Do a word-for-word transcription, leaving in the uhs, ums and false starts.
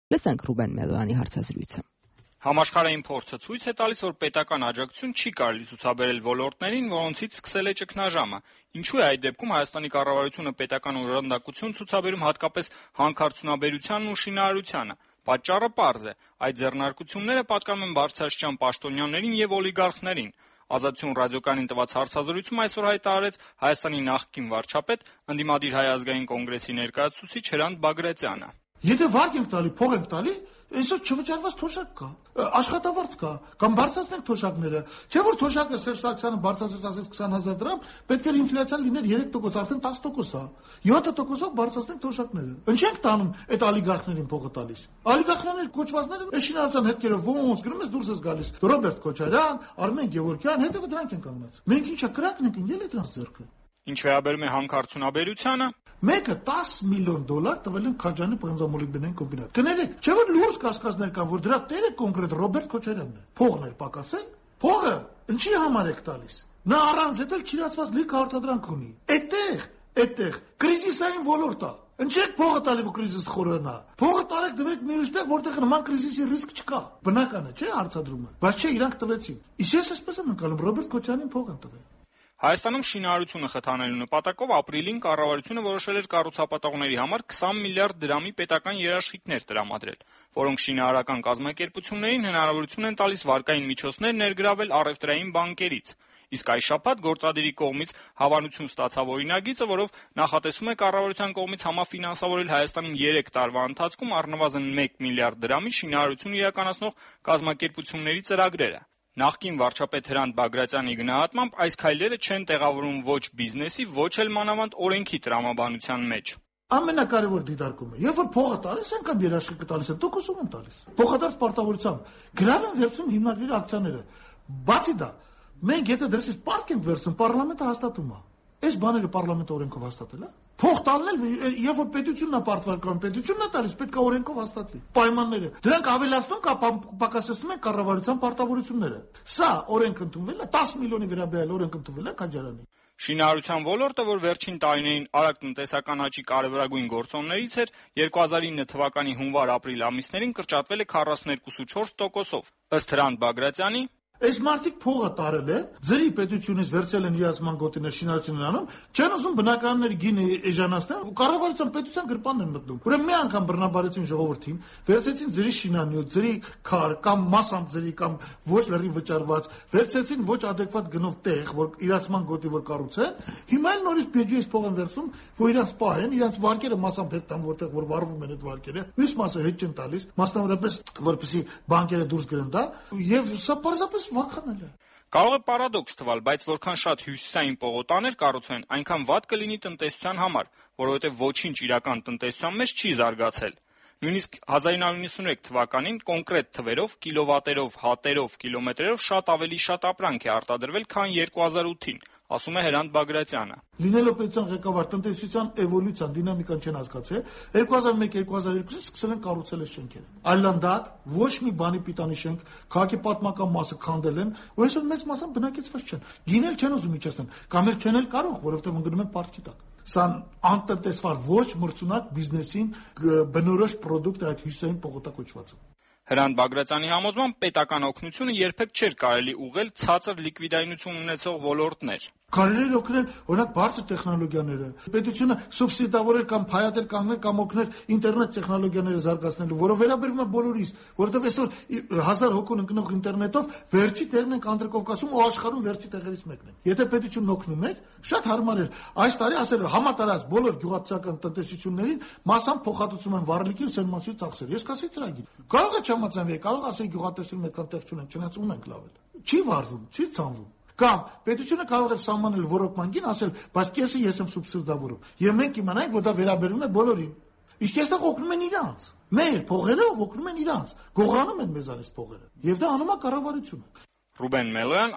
Լսենք Ռուբեն Մելոյանի հարցազրույցը։ Համաշխարհային փորձը ցույց է տալիս, որ պետական աջակցություն չի կարելի ցուցաբերել ոլորտներին, որոնցից սկսել է ճգնաժամը։ Ինչու է այդ դեպքում Հայաստանի կառավարությունը պետական օժանդակություն ցուցաբերում հատկապես հանքարդյունաբերությանն ու շինարարությանը։ Պատճառը պարզ է. այդ ձեռնարկությունները պատկանում են բարձրաստիճան պաշտոնյաներին եւ օլիգարխներին։ Ազատություն ռադիոկայանին տված հարցազրույցում այսօր հայտարարեց Հայաստանի նախկին վարչապետ, ընդդիմադիր Հայ ազգային կոնգրեսի ներկայացուցիչ Հրանտ Բագրատյանը։ Եթե վարկ ենք տալի, փող ենք տալի, այսօր չվճարված թոշակ կա, աշխատավարձ կա, կամ բարձրացնենք թոշակները։ Չէ՞ որ թոշակը Սերժ Սարգսյանը բարձրացրեց ասես քսան հազար դրամ, պետք էր ինֆլյացիան լիներ երեք տոկոս, արդեն տասը տոկոս է։ յոթ տոկոսով բարձրացնենք թոշակները։ Ինչ ենք տանում այդ օլիգարխներին փողը տալիս։ Օլիգարխները կոչվածները շինարարության հետքերով ոնց գրում ես դուրս ես գալիս։ Ռոբերտ Քոչարյան, Արմեն Գևորգյան, հետևը դրանք են կանգնած։ Մենք ինչա կրակն ենք ընկել դրանց ձեռքը։ Ինչ վերաբերում է հանքարդյունաբերությանը, մեկը տասը միլիոն դոլար տվել են Քաջանի պղնձամոլիբդենային կոմբինատ։ Կներեք, չէ՞ որ լուրջ կասկածներ կան, որ դրա տերը կոնկրետ Ռոբերտ Քոչարյանն է։ Փողն էր պակասել։ Փողը ինչի համար եք տալիս։ Նա առանց դա չիրացված լիքը արտադրանք ունի։ Այդտեղ, այդտեղ կրիզիսային ոլորտ է։ Ինչեք փողը տալի, որ կրիզիս խորանա։ Փողը տարեք դվեք մի ուրիշտեղ, որտեղ նման կրիզիսի ռիսկ չկա։ Բնական է, չէ՞ հարցադրումը։ Բայց չէ, իրանք տվեցին։ Իսկ ես այսպես եմ ընկալում, Ռոբերտ Քոչարյանին փող են տվել։ Հայաստանում շինարարությունը խթանելու նպատակով ապրիլին կառավարությունը որոշել էր կառուցապատողների համար քսան միլիարդ դրամի պետական երաշխիքներ տրամադրել, որոնք շինարարական կազմակերպություններին հնարավորություն են տալիս վարկային միջոցներ ներգրավել առևտրային բանկերից։ Իսկ այս շաբաթ գործադիրի կողմից հավանություն ստացավ օրինագիծը, որով նախատեսվում է կառավարության կողմից համաֆինանսավորել Հայաստանին երեք տարվա ընթացքում առնվազն մեկ միլիարդ դրամի շինարարություն իրականացնող կազմակերպությունների ծրագրերը։ Նախկին վարչապետ Հրանտ Բագրատյանի գնահատմամբ այս քայլերը չեն տեղավորվում ոչ բիզնեսի, ոչ էլ մանավանդ օրենքի տրամաբանության մեջ։ Ամենակարևոր դիտարկումը, երբ որ փողը տալիս են կամ երաշխիքը տալիս են, տոկոսով են տալիս։ Փոխադարձ պարտավորությամբ գրավ են վերցնում հիմնադրի ակցիաները։ Բացի դա, մենք եթե դրսից պարտք ենք վերցնում, պարլամենտը հաստատում է։ Այս բաները պարլամենտը օրենքով հաստատել է։ Փող տալնել, երբ որ պետությունն է պարտվարկանում, պետությունն է տալիս, պետք է օրենքով հաստատվի։ Պայմանները։ Դրանք ավելացնում կամ պակասեցնում են կառավարության պարտավորությունները։ Սա օրենք ընդունվել է, տասը միլիոնի վերաբերյալ օրենք ընդունվել է Քաջարյանի։ Շինարարության ոլորտը, որ վերջին տարիներին արագ տնտեսական աճի կարևորագույն գործոններից էր, երկու հազար ինը թվականի հունվար-ապրիլ ամիսներին կրճատվել է քառասունյոթ կόμμα չորս տոկոսով։ Ըստ Հրանտ Բագրատյանի, այս մարդիկ փողը տարել են, ձրի պետությունից վերցել են իրացման գոտիներ շինարարությունն անում, չեն ուզում բնակարանների գինը էժանացնել, ու կառավարության պետության գրպանն են մտնում։ Ուրեմն մի անգամ բռնաբարեցին ժողովրդին, վերցեցին ձրի շինանյութ, ձրի քար կամ մասամբ ձրի կամ ոչ լրի վճարված, վերցեցին ոչ ադեկվատ գնով տեղ, որ իրացման գոտի որ կառուցեն, հիմա էլ նորից բյուջեից փող են վերցում, որ իրանց պահեն, իրանց վարկերը մասամբ հետ տան, որտեղ որ վարվում են այդ վարկերը, մյուս մասը հետ չեն տալիս, մասնավորապես որպեսզի բանկերը դուրս գրեն դա, եւ սա պարզապես վախանել է։ Կարող է պարադոքս թվալ, բայց որքան շատ հյուսիսային պողոտաներ կառուցվեն, այնքան վատ կլինի տնտեսության համար, որովհետև ոչինչ իրական տնտեսության մեջ չի զարգացել։ Նույնիսկ հազար ինը հարյուր նվաթ թվականին կոնկրետ թվերով, կիլովատերով, հատերով, կիլոմետրերով շատ ավելի շատ ապրանք է արտադրվել, քան երկու հազար ութին, ասում է Հրանտ Բագրատյանը։ Լինելով պետության ղեկավար, տնտեսության էվոլյուցիան, դինամիկան չեն հասկացել, երկու հազար մեկ երկու հազար երկուսից սկսել են կառուցել այս շենքերը։ Այլանդակ, ոչ մի բանի պիտանի շենք, քաղաքի պատմական մասը քանդել են, ու այսօր մեծ մասամբ բնակեցված չեն։ Գինել չեն ուզում իջեցնել, կամ էլ չեն էլ կարող, որովհետև ընկնում են պարտքի տակ։ Սա անտնտեսվար ոչ մրցունակ բիզնեսին բնորոշ պրոդուկտ է այդ հյուսիսային պողոտա կոչվածը։ Հրանտ Բագրատյանի համոզմամբ պետական օգնությունը երբեք չէր կարելի ուղղել ցածր լիկվիդայնություն ունեցող ոլորտներ։ Կարելի է օգնել, օրինակ, բարձր տեխնոլոգիաները։ Պետությունը սուբսիդավորել կամ փայատել կանգնել կամ օգնել ինտերնետ տեխնոլոգիաները զարգացնելու, որը վերաբերում է բոլորիս, որովհետև այսօր հազար հոգուն ընկնող ինտերնետով վերջի տեղն ենք Անդրկովկասում ու աշխարհում վերջի տեղերից մեկն ենք։ Եթե պետությունն օգնում էր, շատ հարմար էր։ Այս տարի ասել համատարած բոլոր գյուղատնտեսական տնտեսություններին մասամբ փոխհատուցում են վառելիքի ու սերմանցի ծախսեր։ Ես կասեի ծրագիր։ Կարող է չհամաձայնվի, կարող ասեի գյուղատնտեսություն այդքան տեղ չունենք, չնայած ունենք լավ էլ։ Չի վառվում, չի ցանվում։ Կամ պետությունը կարող է սահմանել ռոռոկման գին, ասել, բայց կեսը ես եմ սուբսիդավորում։ Եվ մենք իմանանք, որ դա վերաբերում է բոլորին։ Իսկ այստեղ օգնում են իրանց։ Մեր փողերով օգնում են իրանց։ Գողանում են մեզանից փողերը։ Եվ դա անում է կառավարությունը։ Ռուբեն Մելոյան